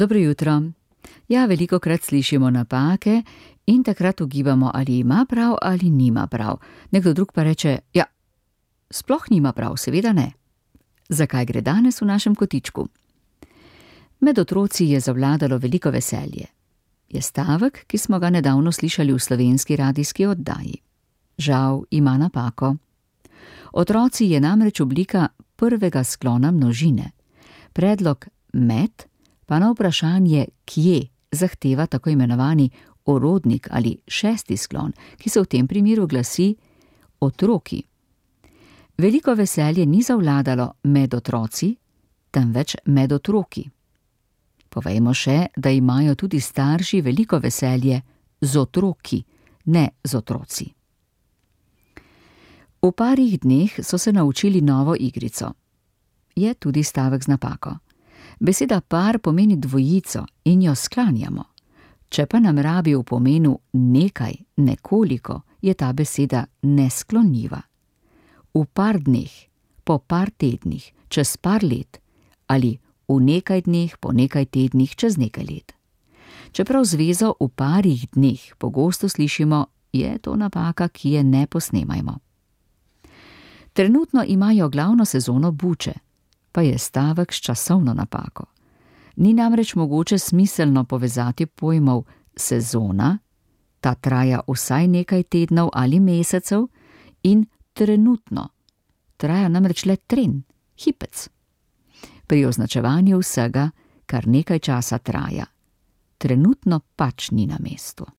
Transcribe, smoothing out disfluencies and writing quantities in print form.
Dobro jutro. Ja, velikokrat slišimo napake in takrat ugibamo, ali ima prav ali nima prav. Nekdo drug pa reče, ja, sploh nima prav, seveda ne. Zakaj gre danes v našem kotičku? Med otroci je zavladalo veliko veselje. Je stavek, ki smo ga nedavno slišali v slovenski radijski oddaji. Žal ima napako. Otroci je namreč oblika prvega sklona množine. Predlog med pa na vprašanje kje zahteva tako imenovani orodnik ali šesti sklon, ki se v tem primeru glasi otroki. Veliko veselje ni zavladalo med otroci, temveč med otroki. Povejmo še, da imajo tudi starši veliko veselje z otroki, ne z otroci. V parih dneh so se naučili novo igrico. Je tudi stavek z napako. Beseda par pomeni dvojico in jo sklanjamo. Če pa nam rabi v pomenu nekaj, nekoliko, je ta beseda nesklonljiva. V par dneh, po par tednih, čez par let ali v nekaj dneh, po nekaj tednih, čez nekaj let. Čeprav zvezo v parih dneh pogosto slišimo, je to napaka, ki je ne posnemajmo. Trenutno imajo glavno sezono buče, pa je stavek s časovno napako. Ni namreč mogoče smiselno povezati pojmov sezona, ta traja vsaj nekaj tednov ali mesecev, in trenutno, traja namreč le tren, hipec. Pri označevanju vsega, kar nekaj časa traja, trenutno pač ni na mestu.